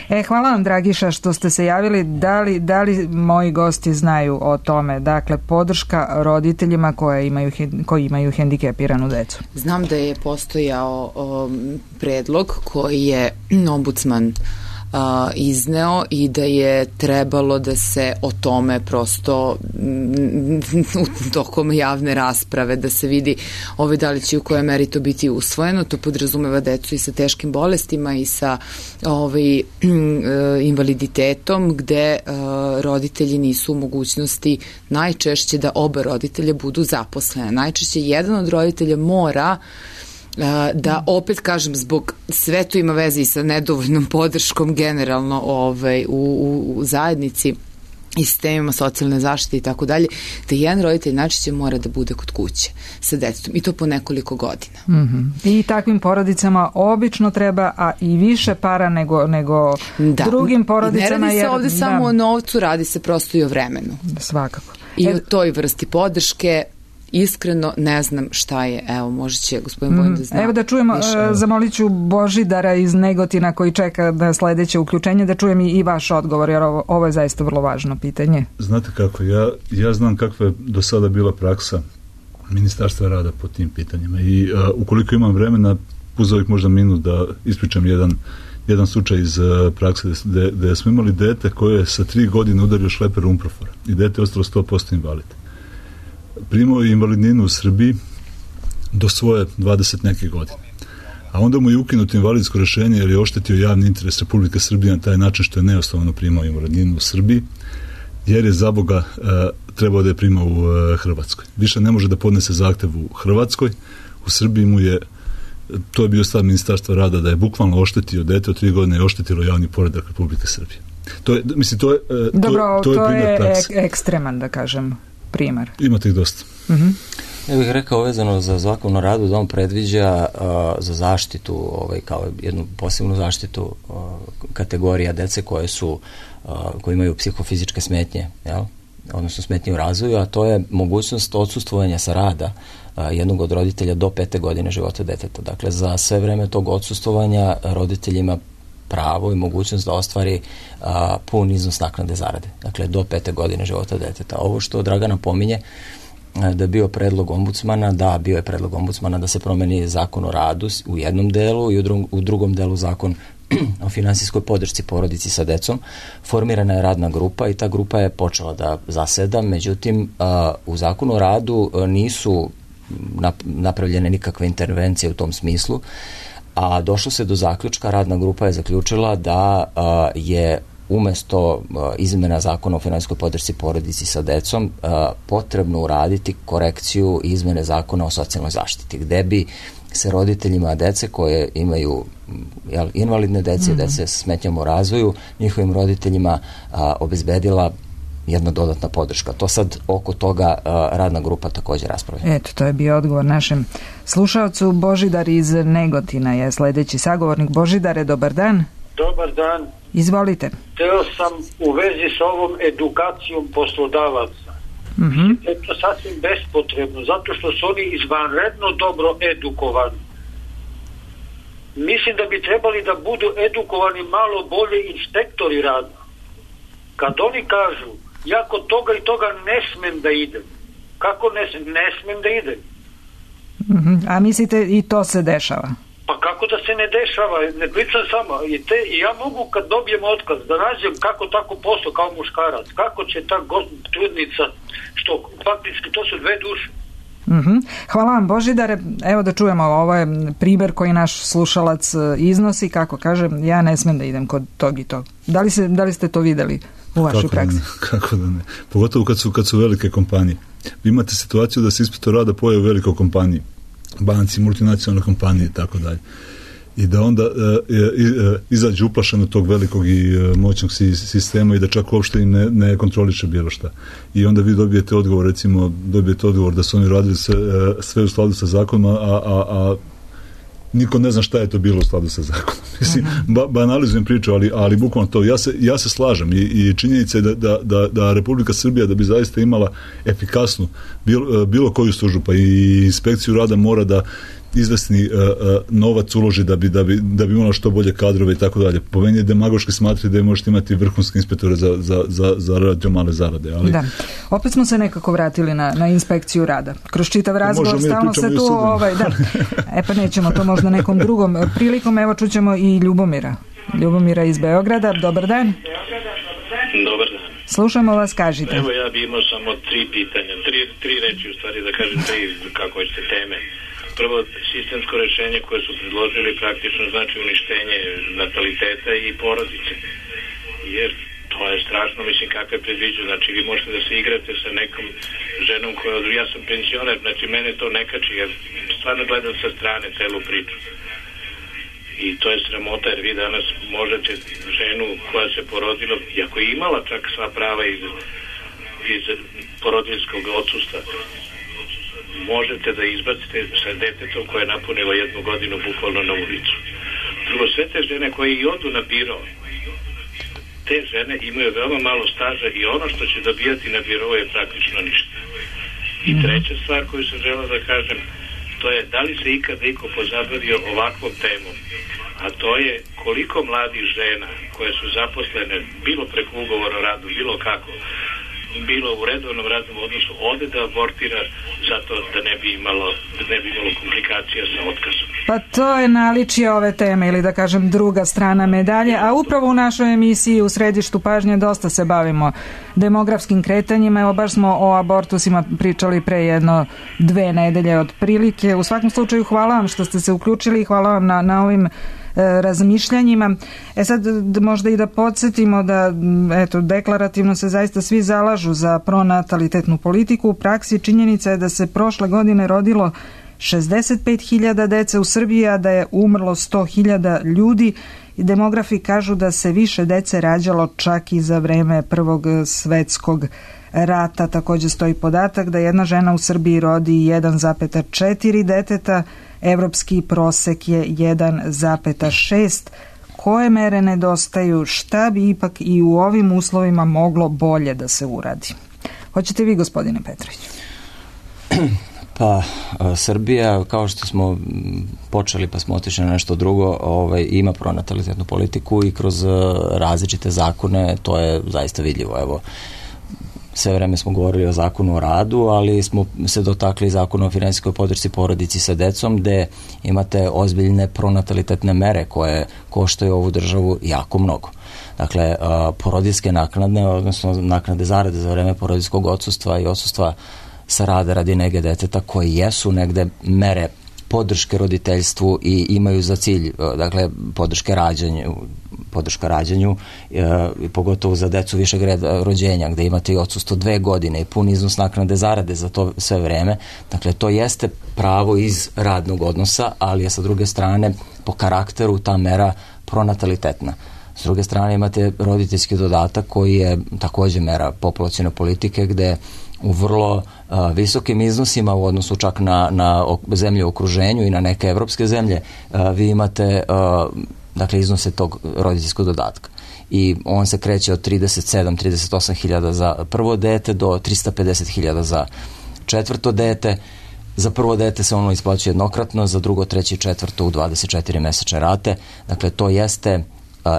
E, hvala vam, Dragiša, što ste se javili. Da li, da li moji gosti znaju o tome? Dakle, podrška roditeljima koje imaju, koji imaju hendikepiranu decu. Znam da je postojao um, predlog koji je ombudsman a, izneo i da je trebalo da se o tome prosto m, tokom javne rasprave da se vidi ove da li će u kojoj meri to biti usvojeno. To podrazumeva decu i sa teškim bolestima i sa ovaj, invaliditetom gde a, roditelji nisu u mogućnosti najčešće da oba roditelja budu zaposlene. Najčešće jedan od roditelja mora da, opet kažem, zbog sve to ima veze i sa nedovoljnom podrškom generalno ovaj, u, u, u zajednici i sistemima socijalne zaštite i tako dalje, da jedan roditelj najčešće mora da bude kod kuće sa detetom i to po nekoliko godina. Mm-hmm. I takvim porodicama obično treba, a i više para nego, nego da. drugim porodicama. Ne radi se jer, ovde da. samo o novcu, radi se prosto i o vremenu. Svakako. I e, o toj vrsti podrške. Iskreno ne znam šta je. Evo, možda će gospodin Vojin da zna. Evo da čujemo, uh, zamolit ću Božidara iz Negotina koji čeka na sledeće uključenje, da čujem i, i vaš odgovor, jer ovo, ovo je zaista vrlo važno pitanje. Znate kako, ja, ja znam kakva je do sada bila praksa Ministarstva rada po tim pitanjima i uh, ukoliko imam vremena, uz ovih možda minut da ispričam jedan, jedan slučaj iz uh, prakse gde, gde smo imali dete koje je sa tri godine udario šleper umprofora i dete je ostalo sto posto invalid. Primao je invalidninu u Srbiji do svoje dvadeset neke godine. A onda mu je ukinuto invalidsko rešenje jer je oštetio javni interes Republike Srbije na taj način što je neosnovano primao invalidninu u Srbiji, jer je za Boga e, trebao da je primao u e, Hrvatskoj. Više ne može da podnese zahtev u Hrvatskoj. U Srbiji mu je, to je bio stav Ministarstva rada, da je bukvalno oštetio dete od tri godine i oštetilo javni poredak Republike Srbije. To je, mislim, to je, to, Dobro, to je, to primjer je prakse. Ek, ekstreman, da kažem, primjer. Imate ih dosta. Uh-huh. Ja bih rekao vezano za Zakon o radu da on predviđa uh, za zaštitu, ovaj, kao jednu posebnu zaštitu uh, kategorija dece koje su, uh, koje imaju psihofizičke smetnje, jel? Odnosno smetnje u razvoju, a to je mogućnost odsustvovanja sa rada uh, jednog od roditelja do pete godine života deteta. Dakle, za sve vreme tog odsustvovanja roditelj ima pravo i mogućnost da ostvari a, pun iznos naknade zarade. Dakle, do pete godine života deteta. Ovo što Dragana pominje, a, da je bio predlog ombudsmana, da, bio je predlog ombudsmana da se promeni Zakon o radu u jednom delu i u, dru, u drugom delu Zakon o finansijskoj podršci porodici sa decom. Formirana je radna grupa i ta grupa je počela da zaseda, međutim, a, u Zakonu o radu a, nisu napravljene nikakve intervencije u tom smislu, a došlo se do zaključka, radna grupa je zaključila da a, je umesto a, izmena Zakona o finansijskoj podršci porodici sa decom a, potrebno uraditi korekciju izmene Zakona o socijalnoj zaštiti, gde bi se roditeljima dece koje imaju jel, invalidne dece, mm-hmm. dece s smetnjama u razvoju, njihovim roditeljima a, obezbedila jedna dodatna podrška. To sad oko toga uh, radna grupa također raspravlja. Eto, to je bio odgovor našem slušalcu. Božidar iz Negotina je sledeći sagovornik. Božidare, dobar dan. Dobar dan. Izvolite. Teo sam u vezi sa ovom edukacijom poslodavaca. Mm-hmm. Je to sasvim bespotrebno, zato što su oni izvanredno dobro edukovani. Mislim da bi trebali da budu edukovani malo bolje inspektori rada. Kad oni kažu ja kod toga i toga ne smem da idem. Kako ne smem? Ne smem da idem. Mm-hmm. A mislite i to se dešava? Pa kako da se ne dešava? Ne pričam samo. I, te, i ja mogu kad dobijem otkaz da nađem kako tako posao kao muškarac. Kako će ta trudnica, što faktički to su dve duše. Mm-hmm. Hvala vam, Božidare. Evo da čujemo, ovo je primer koji naš slušalac iznosi, kako kaže, ja ne smem da idem kod tog i tog. Da li, se, da li ste to videli u vašoj kako praksi? Da ne, kako da ne. Pogotovo kad su, kad su velike kompanije. Vi imate situaciju da se inspektor rada pojavi u velikoj kompaniji, banci, multinacionalne kompanije i tako dalje. I da onda e, e, izađe uplašeno tog velikog i e, moćnog sistema i da čak uopšte im ne, ne kontroliše bilo šta. I onda vi dobijete odgovor, recimo, dobijete odgovor da su oni radili sve, e, sve u skladu sa zakonom, a, a, a niko ne zna šta je to bilo u skladu sa zakonom. Mislim, ba, banalizujem priču, ali, ali bukvalno to. Ja se, ja se slažem i, i činjenica je da, da, da, da Republika Srbija da bi zaista imala efikasnu bilo, bilo koju službu, pa i inspekciju rada mora da izvesni uh, uh, novac uloži da bi, da bi, da bi imala što bolje kadrove i tako dalje. Po meni je demagoški smatri da je možete imati vrhunske inspektore za, za, za, za radio male zarade. Ali... Da. Opet smo se nekako vratili na, na inspekciju rada. Kroz čitav razgovor stalno se tu... Ovaj, da. E pa nećemo to možda nekom drugom prilikom. Evo čućemo i Ljubomira. Ljubomira iz Beograda. Dobar dan. Dobar dan. Slušamo vas, kažite. Evo ja bi imao samo tri pitanja. Tri, tri reči u stvari da kažem tri kako hoćete teme. Prvo, sistemsko rešenje koje su predložili praktično znači uništenje nataliteta i porodice. Jer to je strašno, mislim, kakve predviđu. Znači, vi možete da se igrate sa nekom ženom koja... Ja sam pensioner, znači, mene to ne kači, jer stvarno gledam sa strane celu priču. I to je sramota, jer vi danas možete ženu koja se porodila, iako je imala čak sva prava iz, iz porodiljskog odsustva, možete da izbacite sa detetom koje je napunilo jednu godinu bukvalno na ulicu. Drugo, sve te žene koje i odu na biro, te žene imaju veoma malo staža i ono što će dobijati na biro je praktično ništa. I treća stvar koju sam želeo da kažem, to je da li se ikada iko pozabavio ovakvom temom, a to je koliko mladih žena koje su zaposlene bilo preko ugovora o radu, bilo kako, bilo u redovnom radnom odnosu, ode da abortira zato da ne bi imalo, da ne bi imalo komplikacija sa otkazom. Pa to je naličje ove teme, ili da kažem druga strana medalje, a upravo u našoj emisiji u središtu pažnje dosta se bavimo demografskim kretanjima. Evo baš smo o abortusima pričali pre jedno dve nedelje otprilike. U svakom slučaju hvala vam što ste se uključili i hvala vam na, na ovim razmišljanjima. E sad možda i da podsjetimo da eto, deklarativno se zaista svi zalažu za pronatalitetnu politiku. U praksi činjenica je da se prošle godine rodilo šezdeset pet hiljada dece u Srbiji, a da je umrlo sto hiljada ljudi. I demografi kažu da se više dece rađalo čak i za vreme Prvog svetskog rata takođe stoji podatak da jedna žena u Srbiji rodi jedan zarez četiri deteta, evropski prosek je jedan zarez šest. Koje mere nedostaju, šta bi ipak i u ovim uslovima moglo bolje da se uradi? Hoćete vi, gospodine Petrović? Pa, Srbija, kao što smo počeli pa smo otišli na nešto drugo, ovaj, ima pronatalitetnu politiku i kroz različite zakone to je zaista vidljivo. Evo, sve vreme smo govorili o zakonu o radu, ali smo se dotakli zakonu o finansijskoj podršci porodici sa decom, gde imate ozbiljne pronatalitetne mere koje koštaju ovu državu jako mnogo. Dakle, porodiljske naknade, odnosno naknade zarade za vreme porodiljskog odsustva i odsustva sa rada radi nege deteta, koje jesu negde mere podrške roditeljstvu i imaju za cilj, dakle, podrške rađanju, podrška rađanju, e, pogotovo za decu višeg reda rođenja, gde imate i odsustvo dve godine i pun iznos naknade zarade za to sve vreme. Dakle, to jeste pravo iz radnog odnosa, ali je sa druge strane po karakteru ta mera pronatalitetna. S druge strane imate roditeljski dodatak koji je takođe mera populacione politike, gde u vrlo a, visokim iznosima u odnosu čak na, na zemlje u okruženju i na neke evropske zemlje, a, vi imate a, dakle iznose tog roditeljskog dodatka. I on se kreće od trideset sedam do trideset osam hiljada za prvo dete do trista pedeset hiljada za četvrto dete. Za prvo dete se ono isplaćuje jednokratno, za drugo, treće i četvrto u dvadeset četiri mesečne rate. Dakle, to jeste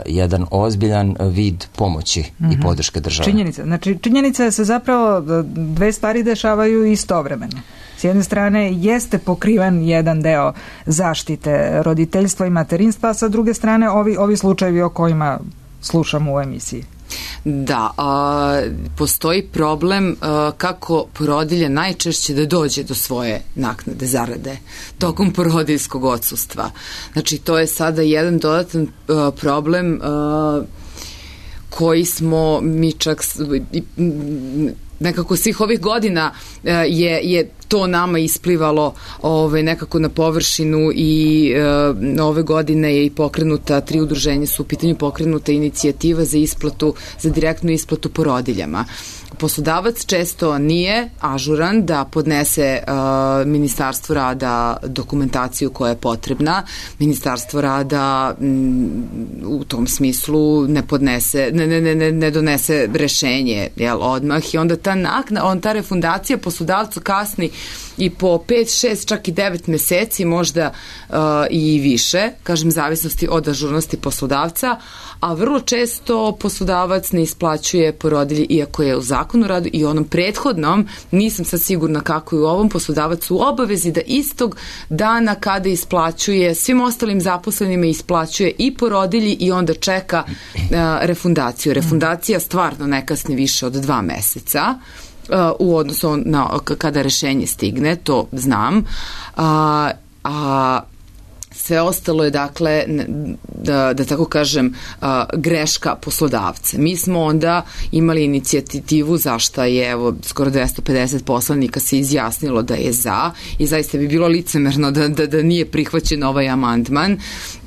jedan ozbiljan vid pomoći mm-hmm. i podrške države. Činjenica. Znači, činjenica je se zapravo dve stvari dešavaju istovremeno. S jedne strane jeste pokriven jedan deo zaštite roditeljstva i materinstva, a sa druge strane ovi, ovi slučajevi o kojima slušamo u emisiji. Da, a, postoji problem a, kako porodilje najčešće da dođe do svoje naknade zarade tokom porodiljskog odsustva. Znači, to je sada jedan dodatan a, problem a, koji smo mi čak nekako svih ovih godina a, je, je to nama isplivalo ovaj, nekako na površinu i e, ove godine je i pokrenuta, tri udruženja su u pitanju pokrenuta inicijativa za isplatu, za direktnu isplatu porodiljama. Poslodavac često nije ažuran da podnese uh, Ministarstvu rada dokumentaciju koja je potrebna. Ministarstvo rada m, u tom smislu ne podnese, ne, ne, ne, ne donese rešenje, jel, odmah, i onda ta nakna, on, ta refundacija poslodavcu kasni i po pet, šest, čak i devet meseci, možda uh, i više, kažem, zavisnosti od ažurnosti poslodavca, a vrlo često poslodavac ne isplaćuje porodilji, iako je u zakonu o radu i onom prethodnom, nisam sad sigurna kako je u ovom, poslodavac u obavezi da istog dana kada isplaćuje svim ostalim zaposlenima isplaćuje i porodilji i onda čeka uh, refundaciju. Refundacija stvarno ne kasni više od dva meseca. Uh, u odnosu na kada rešenje stigne, to znam, a, a sve ostalo je, dakle, da, da tako kažem, a, greška poslodavca. Mi smo onda imali inicijativu zašto je, evo, skoro dvesta pedeset poslanika se izjasnilo da je za, i zaista bi bilo licemerno da, da, da nije prihvaćen ovaj amandman,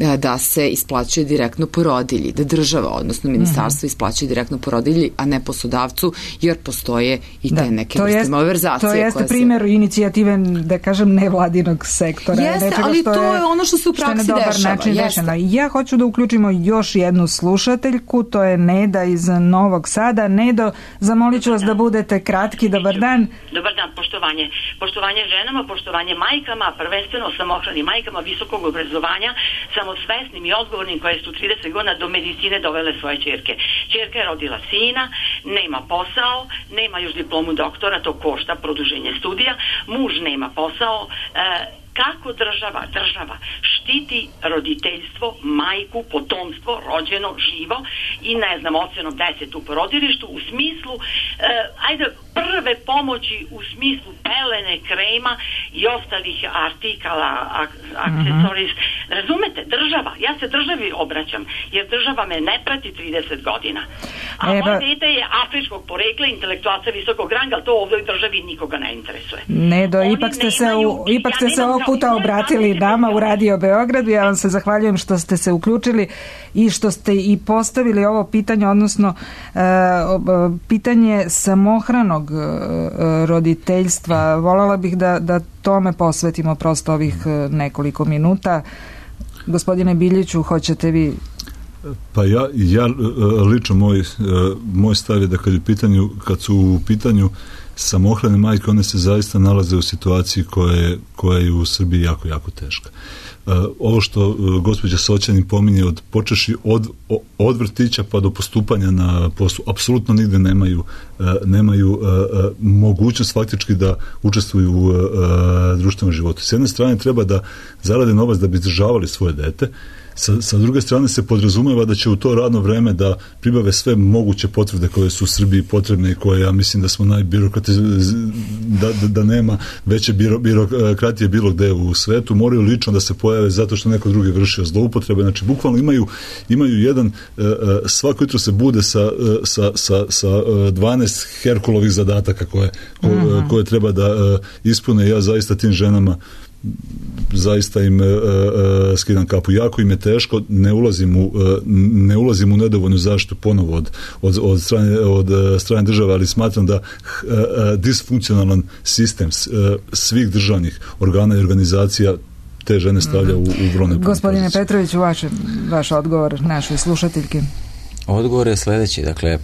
a, da se isplaćuje direktno porodilji, da država, odnosno ministarstvo, isplaćuje direktno porodilji, a ne poslodavcu, jer postoje i te da, neke vrste malverzacije. To jeste primjer se... inicijative, da kažem, nevladinog sektora. Jeste, ali to je, je ono što se u praksi dešava. dešava. Ja hoću da uključimo još jednu slušateljku, to je Neda iz Novog Sada. Nedo, zamolit ću vas da budete kratki. Dobar dan. Dobar dan, poštovanje. Poštovanje ženama, poštovanje majkama, prvenstveno samohranim majkama visokog obrazovanja, samosvesnim i odgovornim, koje su trideset godina do medicine dovele svoje ćerke. Ćerka je rodila sina, nema posao, nema još diplomu doktora, to košta produženje studija, muž nema posao, e, kako država, država štiti roditeljstvo, majku, potomstvo, rođeno, živo i ne znam, ocenom deset u porodilištu u smislu, eh, ajde, prve pomoći u smislu pelene, krema i ostalih artikala, ak- aksesoris Razumete, država, ja se državi obraćam, jer država me ne prati trideset godina. A Eba, moje dete je afričkog porekla, intelektualca visokog ranga, ali to ovdje u državi nikoga ne interesuje. Ne, do, ipak ste se, u, ipak ste se ovog puta obratili nama u Radio Beogradu. Ja vam se zahvaljujem što ste se uključili i što ste i postavili ovo pitanje, odnosno e, pitanje samohranog e, roditeljstva. Voljela bih da, da tome posvetimo prosto ovih nekoliko minuta. Gospodine Biljiću, hoćete vi? Pa ja, ja lično moj, moj stav je da kad, je pitanju, kad su u pitanju samohrane majke, one se zaista nalaze u situaciji koja je, koja je u Srbiji jako, jako teška. Ovo što gospođa Soćanin pominje od počeši od, od vrtića pa do postupanja na poslu, apsolutno nigde nemaju, nemaju mogućnost faktički da učestvuju u društvenom životu. S jedne strane treba da zarade novac da bi izdržavali svoje dete, Sa, sa druge strane se podrazumeva da će u to radno vreme da pribave sve moguće potvrde koje su u Srbiji potrebne i koje ja mislim da smo najbirokrati, da, da, da nema veće biro, birokratije bilo gde u svetu, moraju lično da se pojave zato što neko drugi vršio zloupotrebe. Znači, bukvalno imaju, imaju jedan, svako jutro se bude sa, sa, sa, sa dvanaest Herkulovih zadataka koje, koje, mm-hmm. koje treba da ispune. Ja zaista tim ženama zaista im e, e, skidam kapu. Jako im je teško, ne ulazim u, e, ne ulazim u nedovoljnu zaštitu ponovo od, od, od, strane, od strane države, ali smatram da e, e, disfunkcionalan sistem e, svih državnih organa i organizacija te žene stavlja u, u brojne. Gospodine pozicije. Petrović, vaš, vaš odgovor našoj slušateljki. Odgovor je sledeći. Dakle, e,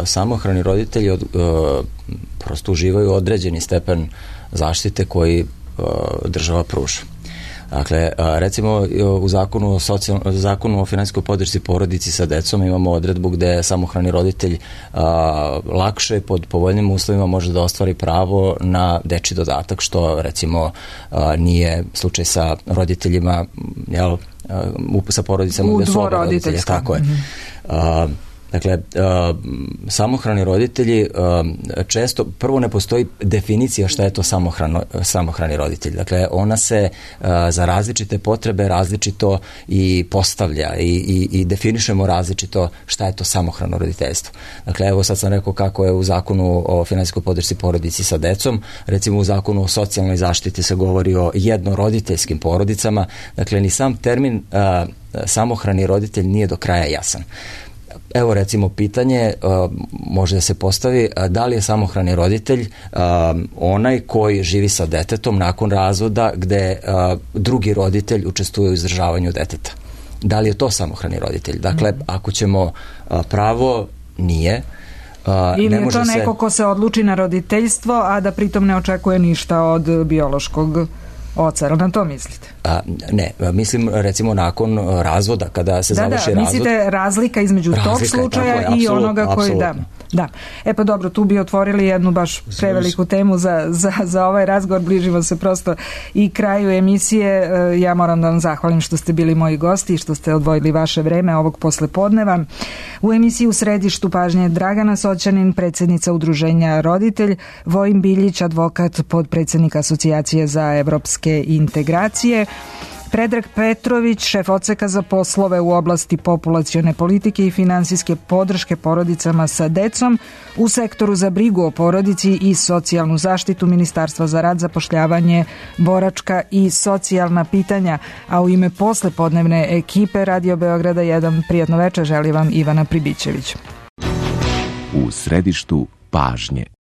samohrani roditelji od, e, prosto uživaju određeni stepen zaštite koji država pruža. Dakle, recimo u zakonu o, socijal, zakonu o finansijskoj podršci porodici sa decom imamo odredbu gde samohrani roditelj a, lakše pod povoljnim uslovima može da ostvari pravo na dečji dodatak, što recimo a, nije slučaj sa roditeljima, jel, a, sa porodicama gde su oba roditelja. Tako je. Mm-hmm. A, Dakle, uh, samohrani roditelji uh, često, prvo ne postoji definicija šta je to samohrano, samohrani roditelj. Dakle, ona se uh, za različite potrebe različito i postavlja i, i, i definišemo različito šta je to samohrano roditeljstvo. Dakle, evo sad sam rekao kako je u zakonu o finansijskoj podršci porodici sa decom, recimo u zakonu o socijalnoj zaštiti se govori o jednoroditeljskim porodicama. Dakle, ni sam termin uh, samohrani roditelj nije do kraja jasan. Evo recimo pitanje uh, može da se postavi uh, da li je samohrani roditelj uh, onaj koji živi sa detetom nakon razvoda gde uh, drugi roditelj učestvuje u izdržavanju deteta. Da li je to samohrani roditelj? Dakle, mm. ako ćemo uh, pravo, nije. Uh, Ili ne je može to neko se... ko se odluči na roditeljstvo, a da pritom ne očekuje ništa od biološkog oca, ali na to mislite? A, ne, mislim recimo nakon razvoda, kada se da, završi da, razvod. Mislite razlika između razlika tog slučaja je, i onoga koji da. Da. E pa dobro, tu bi otvorili jednu baš preveliku temu za, za, za ovaj razgovor, bližimo se prosto i kraju emisije. Ja moram da vam zahvalim što ste bili moji gosti i što ste odvojili vaše vreme ovog poslepodneva. U emisiji U središtu pažnje Dragana Soćanin, predsjednica Udruženja Roditelj, Vojin Biljić, advokat, podpredsjednik Asocijacije za evropske integracije, Predrag Petrović, šef odseka za poslove u oblasti populacione politike i finansijske podrške porodicama sa decom u sektoru za brigu o porodici i socijalnu zaštitu Ministarstva za rad, zapošljavanje, boračka i socijalna pitanja, a u ime poslepodnevne ekipe Radio Beograda jedan prijatno večer želi vam Ivana Pribićević. U središtu pažnje.